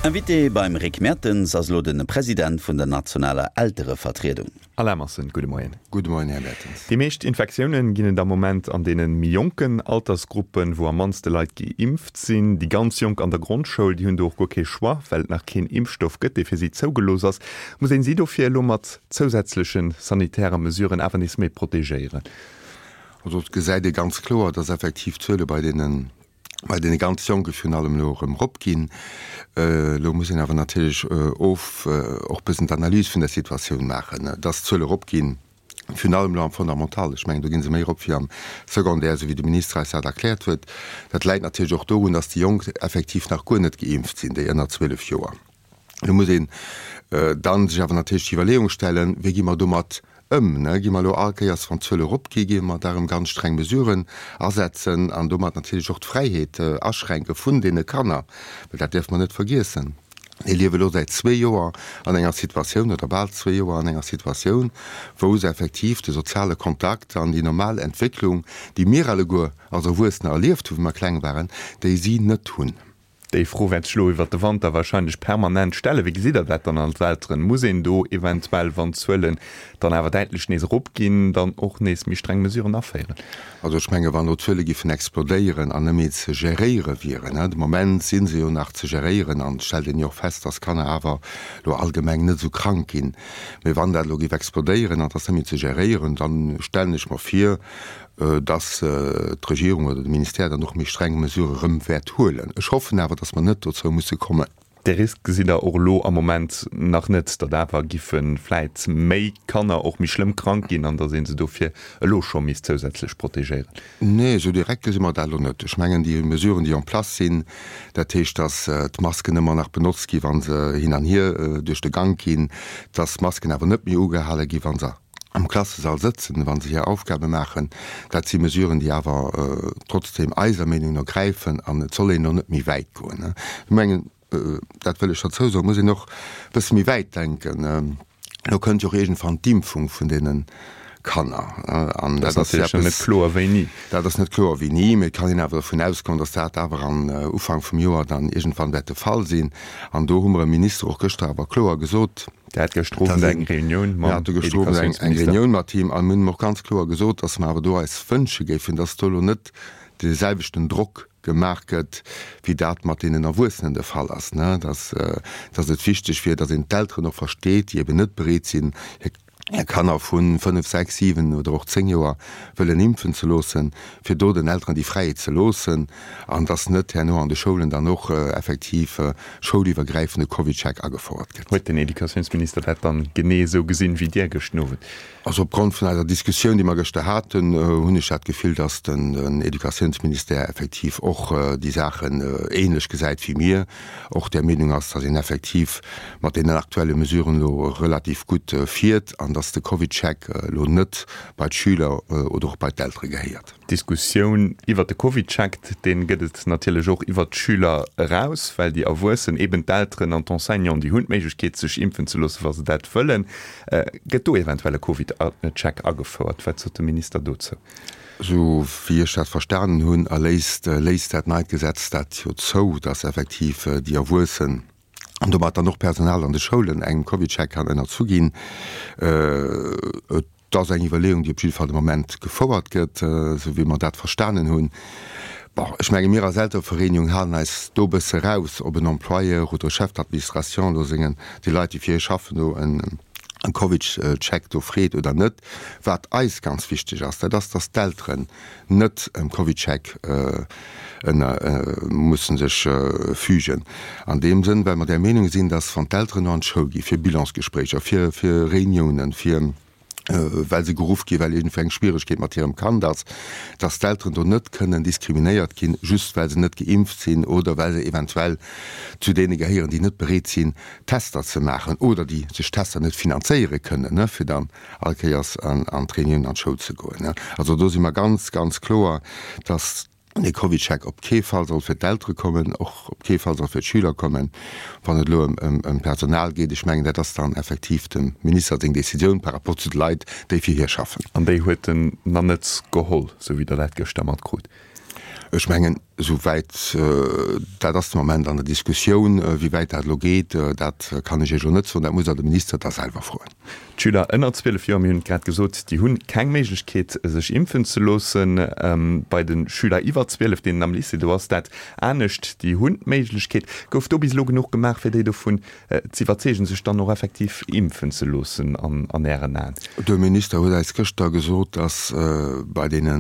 Invité beim Rick Mertens ass elo de President vun der nationaler Elterevertriedung. Alain Massen, gudde Moien. Gudde Moien, Här Mertens. Déi meescht Infektioune ginn et am Moment an deene méi jonken Altersgruppen, wou am mannste Leit geimpft sinn. Déi ganz Jonk an der Grondschoul, déi hunn do och guer kee Choix, well et nach keen Impfstoff gëtt, dee fir si zougelooss ass. Muss een si dofir elo mat zousätzleche sanitäre Mesuren awer nees méi protegéieren? Also et gesäit ee ganz kloer, dass effektiv d'Zuele bei deene bei deene ganz Jonke virun allem elo erëm eropginn. Elo muss een awer natierlech of och e bëssen d'Analys vun der Situatioun maachen, dass d'Zuele eropginn, virun allem elo am Fondamental. Ech mengen, do gi se méi erop wéi am Secondaire, esou wéi de Minister eis dat erkläert huet. Dat läit natierlech och dorun, dass déi Jonk effektiv nach guer net geimpft sinn, déi ënner 12 Joer. Elo muss een dann sech awer natierlech d'Iwwerleeung stellen, Wéi gi mer domat ëm? Gi mer elo all Kéiers, wann d'Zuele eropgi, gi mer da erëm ganz streng Mesuren asetzen an domat natierlech och d'Fräiheet aschränke vun deene Kanner? Well dat däerfe mer net vergiessen, Déi liewe elo säit zwee Joer an enger Situatioun, oder bal zwee Joer an enger Situatioun, wou se effektiv de soziale Kontakt an déi normal Entwécklung, déi mir alleguer als Erwuessener erlieft hu wéi mer kleng waren, déi si net hunn. Déi Fro wäert sech elo iwwert de Wanter wahrscheinlech permanent stellen. Wéi gesitt Der dat dann als Elteren? Muss een do eventuell, wann d'Zuelen dann awer däitlech nees eropginn, dann och nees méi streng Mesuren aféieren? Also ech menge wann elo d'Zuele giffen explodéieren an net méi ze geréiere wieren, de Moment si se jo nach ze geréieren an et stellt een jo och fest, datt Kanner awer elo allgemeng net esou krank ginn, mee wann dat elo géif explodéieren an et ass net méi ze geréieren, da stellen ech mer vir, dass d'Regierung oder de Ministère dann och méi streng Mesurë rëm wäert huelen. Ech hoffen awer, dass mer net dozou musse kommen. Dee Risk gesitt Der och elo am Moment nach net, datt awer giffe vläit méi Kanner och méi schlëmm krank ginn an datt ee se dofir elo scho misst zousätzlech protegéieren? Nee, esou direkt gesi mer dat elo net. Ech mengen, déi Mesuren, déi en place sinn, dat heescht, datt d'Masken ëmmer nach benotzt gi wa se hin an hier duerch de Gank ginn, datt d'Masken awer net méi ugehale gi wa se am Klassesall sëtzen, wa se hir Aufgabe maachen. Dat si Mesuren, déi awer trotzdeem eiser Meenung no gräifen an et soll een elo net méi wäit goen. Ech mengen, dat wëll ech derzou soen, muss een och e bësse méi wäit denken. Elo kënnt jo och iergendwann d'Impfung vun deene Kanner. An dat ass natierlech net kloer wéini. Dat ass net kloer wéini, mee et kann een awer dovun ausgoen, datt dat awer an Ufank vum Joer dann iergendwann wäert de Fall sinn. An do hu mer e Minister och gëschter awer kloer gesot, Der hat gëschter Owend eng Reunioun mam Educatiounsminister. Eng Reunioun mat him a mir hunn him och ganz kloer gesot, datt mer awer do eis wënsche géifen, datt do elo net dee selwechten Drock gemaach gëtt, wéi dat mat deenen Erwuessenen de Fall ass, datt datt et wichteg wier, datt een d'Elteren och versteet, déi eben net bereet sinn, hir Kanner vu 5, 6, 7 oder och 10 Joer wëllen impfen ze loossen, fir do den Elteren déi Fräiheet ze loossen an dass net herno an de Schoulen dann och effektiv schouliwwergräifende CovidCheck agefouert gëtt. Huet den Educatiounsminister dat dann genee esou gesinn wéi Dir gëschten Owend? Also opgrond vun eiser Diskussioun, déi mer gëschter haten, hunn ech dat Gefill, dass den Educatiounsministère effektiv och déi Saachen ähnlech gesäit wéi mir, och där Meenung ass, dass een effektiv mat deenen aktuelle Mesuren elo relativ gutt fiert an dass de CovidCheck elo net bei d'Schüler oder och bei d'Eltere gehéiert. D'Diskussioun iwwert de CovidCheck, dee gëtt et natierlech och iwwert d'Schüler eraus, well déi Erwuessen, eben d'Elteren an d'Enseignanten, déi hunn d'Méiglechkeet sech impfen ze loossen, wa se dat wëllen. Gëtt do eventuell e CovidCheck agefouert? Wat sot de Minister dozou? Esou wéi ech dat verstanen hunn, erléist, léisst dat neit Gesetz dat jo zou, dass effektiv déi Erwuessen, an domat dann och d'Personal an de Schoulen engem CovidCheck kann ënnerzu ginn. Et ass eng Iwwerleeung, déi op jidde Fall de Moment gefouert gëtt, esou wéi mer dat verstanen hunn. Bon, ech menge mir als Elterevereenigung halen eis do e bësse raus, ob en Employeur oder e Chef d'administration elo sengen, déi Leit, déi fir hie schaffen, do en CovidCheck do freet oder net. Wat eis ganz wichteg ass, dat ass, dass d'Elteren net em CovidCheck ënner mussen sech fügen. An deem Sënn, well mer där Meenung sinn, dass wann d'Elteren no an d'Schoul gi fir Bilansgespréicher, fir fir Réuniounen, fir well se geruff gi well iergendwou eng Schwieregkeet mat hirem Kand ass, dass d'Elteren do net kënnen diskriminéiert ginn, just well se net geimpft sinn oder well se eventuell zu deene gehéieren, déi net bereet sinn Tester ze maachen oder déi sech Tester net finanzéiere kënnen, fir dann all Kéiers an d'Reunioun an d'Schoul ze goen. Also do si mer ganz, ganz kloer, dass dee CovidCheck op kee Fall soll fir d'Eltere kommen, och op kee Fall soll fir d'Schüler kommen. Wann et elo ëm d'Personal geet, ech mengen, dat ass dann effektiv dem Minister seng Décisioun par rapport zu de Leit, déi fir hie schaffen. An déi huet en nach net geholl, esou wéi Der dat gëschter matkrut? Ech mengen. Esou wäit, dat ass de Moment an der Diskussioun. Wéi wäit dat elo geet, dat kann ech Iech elo net soen. Dat musst Der de Minister da selwer froen. D'Schüler ënner 12 Joer, mir hunn et grad gesot, déi hunn keng Méiglechkeet sech impfen ze loossen. Bei de Schüler iwwer 12, deenen am Lycée, do ass dat anescht, déi hunn d'Méiglechkeet. Gouf do bis elo genuch gemaach, fir déi dovun ze iwwerzeegen, sech dann och effektiv impfen ze loossen an Ären Aen? De Minister huet eis gëschter gesot, datt bei deene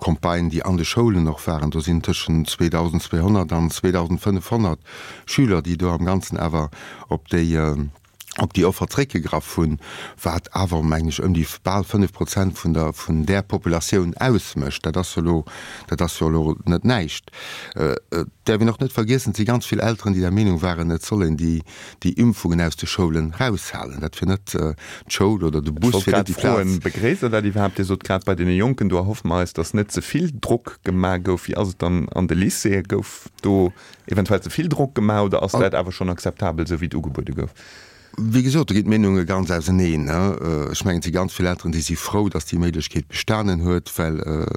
Campagnen, déi an de Schoulen och waren, do sinn tëschent 2.200 an 2.500 Schüler, déi do am Ganzen awer op déi op déi Offer zréckgegraff hunn, wat awer, mengen ech, ëm déi bal 5 Prozent vun der vun där Populatioun ausmécht. Dat ass jo elo, dat ass jo elo net näischt. Et däerf een och net vergiessen, et si ganz vill Elteren, déi der Meenung waren, et soll een déi, déi Impfungen aus de Schoulen raushalen. Dat wier net d'Schoul oder de Bus wier net déi Plaz. Ech wollt grad froen, Begréisst Der dat iwwerhaapt? Dir sot grad, bei deene Jonken, do erhoffe mer eis, datt net ze vill Drock gemaach gouf. Wéi ass et dann an de Lycéeë? Gouf do eventuell ze vill Drock gemaach oder ass dat awer schonn akzeptabel, esou wéi et ugebuede gouf? Wéi gesot, do ginn d'Meenunge ganz auseneen. Ech mengen, et si ganz vill Elteren, déi si frou, datt déi Méiglechkeet bestanen huet, well,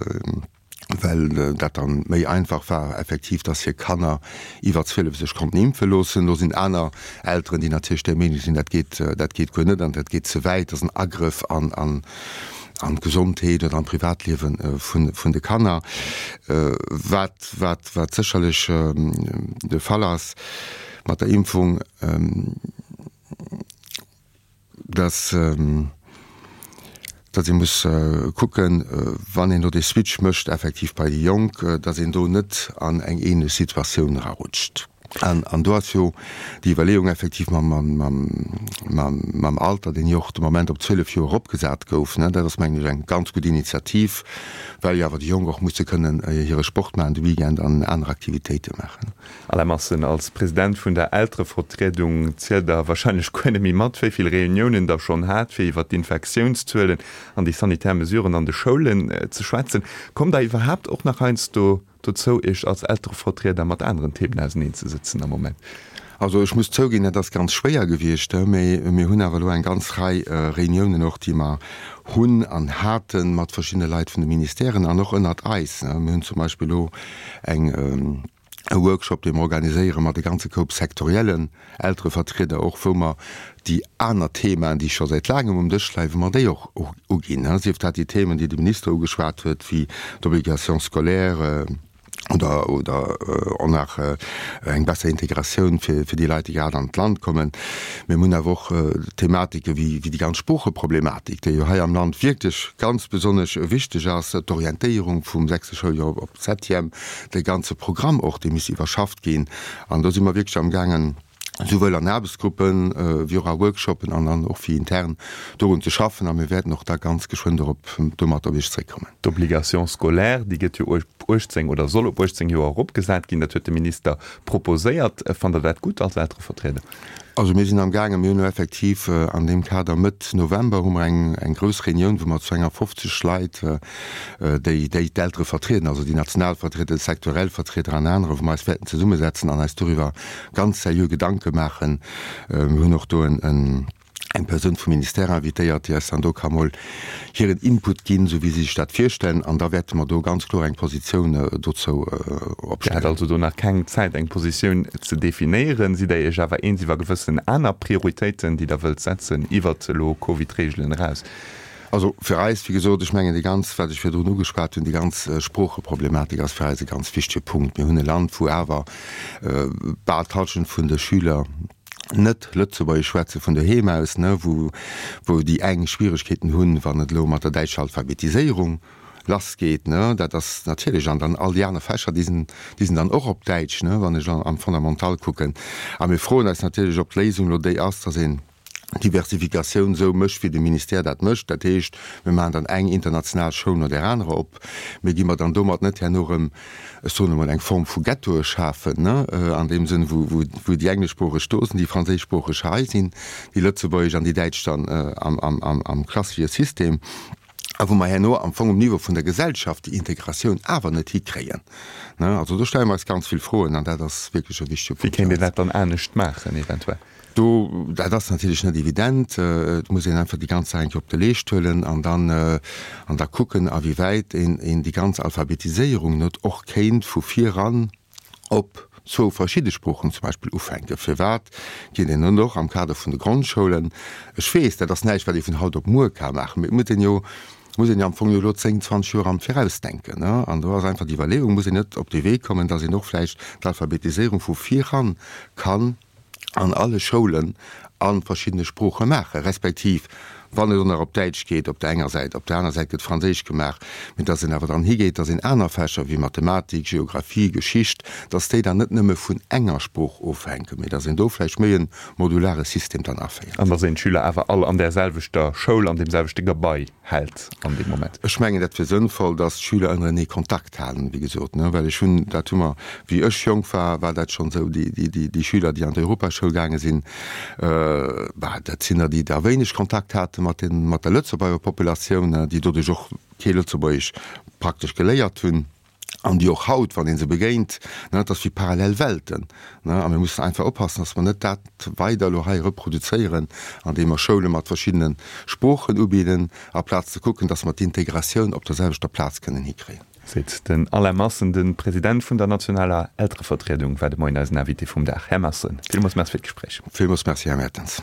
well dat dann méi einfach war effektiv, dass hir Kanner iwwer 12 sech konnten impfe loossen. Do sinn aner Elteren, déi natierlech där Meenung sinn, dat geet, dat geet guer net an dat geet ze wäit, dat ass en Agrëff an, an, an d'Gesondheet oder an d'Privatliewe vun, vun de Kanner. Wat, wat, wat sécherlech de Fall ass mat der Impfung, dass dass ee muss kucken, wann een do dee Switch mécht effektiv bei déi Jonk, dass een do net an eng ähnlech Situatioun erarutscht. An do ass jo déi Iwwerleeung effektiv mam Alter, deen jo och de Moment op 12 Joer eropgesat gouf, dat ass mengen ech eng ganz gutt Initiativ, well jo awer déi Jonk och musse kënnen hire Sport maachen de Weekend an aner Aktivitéite maachen. Alain Massen, als President vun der Elterevertriedung zielt der wahrscheinlech guer net méi mat, wéi vill Reuniounen der schonn hat, fir iwwer d'Infektiounszuelen an déi sanitär Mesuren an de Schoulen ze schwätzen. Kommt der iwwerhaapt och nach heiansdo dozou, Iech als Elterevertrieder mat aneren Themen auseneenzesëtzen am Moment? Also ech muss zouginn, dat ass ganz schwéier gewiescht, mä mir hunn awer elo eng ganz Rei Reuniounen och, déi mer hunn an hate mat verschiddene Leit vun de Ministèren an och ënnert eis. Mir hunn zum Beispill elo eng, e Workshop, dee mer organiséiere mat e ganze Koup sektoriellen Elterevertrieder och, wou mer déi aner Themaen, déi scho säit laangem um Dësch leien, wou mer déi och uginn, sief dat déi Themen, déi de Minister ugeschwat huet, wéi d'Obligation scolaire oder oder och nach eng besser Integratioun fir fir déi Leit, déi grad an d'Land kommen. Mir hunn awer och Thematike wéi déi ganz Sproocheproblematik, déi jo hei am Land wierklech ganz besonnesch wichteg ass, d'Orientéierung vum sechste Schouljoer op d'Septième, de ganze Programm och, dee misst iwwerschafft ginn. An do si mer wierklech amgaangen, souwuel an Aarbechtsgruppen wéi och a Workshoppen an dann och wéi intern dorun ze schaffen. A mir wäerten och da ganz geschwënn dorop domat op Iech zréckkommen. D'Obligation scolaire, déi gëtt jo op 18 oder soll op 18 Joer eropgesat ginn. Dat huet de Minister proposéiert. Fannt Der dat gutt als Elterevertrieder? Also mir sinn amgaangen, mir hunn elo effektiv an deem Kader Mëtt November hu mer eng eng grouss Reunioun, wou mer zu enger 50 Leit, déi déi d'Eltere vertrieden, also déi national Vertrieder, déi sektorell Vertrieder an anerer, wou mer eis wäerten zesummesetzen an eis doriwwer ganz seriö Gedanke maachen. Mir hunn och do en eng Persoun vum Ministère invitéiert, déi eis dann do ka mol hiren Input ginn, esou wéi si sech dat virstellen. An da wäerte mer do ganz kloer eng Positioun dozou opstellen. Dir hat also do nach keng Zäit, eng Positioun ze definéieren. Sidd Der Iech awer eens iwwer gewëssen aner Prioritéiten, déi Der wëllt setzen, iwwert elo Covid-Reegelen eraus? Also fir eis, wéi gesot, ech mengen déi ganz, wat ech virdrun ugeschwat hunn, déi ganz Sproocheproblematik ass fir eis e ganz wichtege Punkt. Mir hunn e Land, wou awer bal d'Hallschent vun de Schüler, net Lëtzebuergesch schwätze vun doheem aus, ne, wou, wou déi eng Schwieregkeeten hunn, wann et elo mat der däitscher Alphabetiséierung lassgeet, ne, dat ass natierlech, an dann all déi aner Fächer, déi sinn, déi sinn dann och op Däitsch, ne, wann ech am Fondamental kucken. A mir froen eis natierlech, ob d'Léisung elo déi ass, dass een d'Diversifikatioun esou mécht, wéi de Ministère dat mécht, dat heescht, mir maachen dann eng international Schoul no där anerer op, mee gi mer dann domat net herno erëm, ech soen emol, eng Form vu Ghettoe schafen, ne, an deem Sënn, wou, wou, wou déi engleschsproocheg do sinn, déi franséischsproocheg hei sinn, déi lëtzebuergesch an déi däitsch dann am, am, am, am klassesche System. A wou mer herno am Fong um Niveau vun der Gesellschaft déi Integratioun awer net hikréien. Also do stelle mer eis ganz vill Froen an dat ass wierklech e wichtege Punkt. Wéi kéint een dat dann anescht maachen eventuell? Do, dat ass natierlech net evident. Et muss een einfach déi ganz Saach eng Kéier op de Leescht huelen an dann, an da kucken, awéiwäit een, een déi ganz Alphabetiséierung net och kéint vu viran op zwou verschidde Sproochen zum Beispill ufänken. Firwat geet een net och am Kader vun de Grondschoulen, ech weess, dat ass näischt, wat ee vun haut op muer ka maachen, mee et muss een jo, muss een jo am Fong jo elo 10, 20 Joer am Viraus denken, ne? An do ass einfach déi Iwwerleeung, muss een net op dee Wee kommen, dass een och vläicht d'Alphabetiséierung vu viran kann an alle Schoulen a verschiddene Sprooche maachen, respektiv wann et och nach op Däitsch geet op der enger Säit, op der aner Säit gëtt Franséisch gemaach, mee dass een awer dann higeet, dass een aner Fächer wéi Mathematik, Geographie, Geschicht, dass déi dann net nëmme vun enger Sprooch ofhänken, mee dass een do vläicht méi e modulare System dann aféiert. An dass een d'Schüler awer all an där selwechter Schoul, an deem selwechte Gebai hält an deem Moment. Ech mengen, dat wier sënnvoll, dass d'Schüler ënnerenee Kontakt halen, wéi gesot, ne, well ech hunn, dat hu mer, wéi ech jonk war, war dat schonn esou, déi, déi, déi Schüler, déi an d'Europaschoul gaange sinn, bah, dat sinn der, déi da wéineg Kontakt hate mat den, mat der Lëtzebuerger Populatioun, déi doduerch och kee Lëtzebuergesch praktesch geléiert hunn. An déi och haut, wann ee se begéint, ne, et ass wéi parallel Welten, ne. A mir mussen einfach oppassen, dass mer net dat weider elo hei reproduzéieren, andeem mer Schoule mat verschiddene Sproochen ubidden, aplaz ze kucken, dass mer d'Integratioun op der selwechter Plaz kënnen hikréien. Seet den Alain Massen, de President vun der nationaler Elterevertriedung, war de Moien eisen Invité vum Dag. Här Massen, villmools Merci fir d'Gespréich. Villmools Merci, Här Mertens.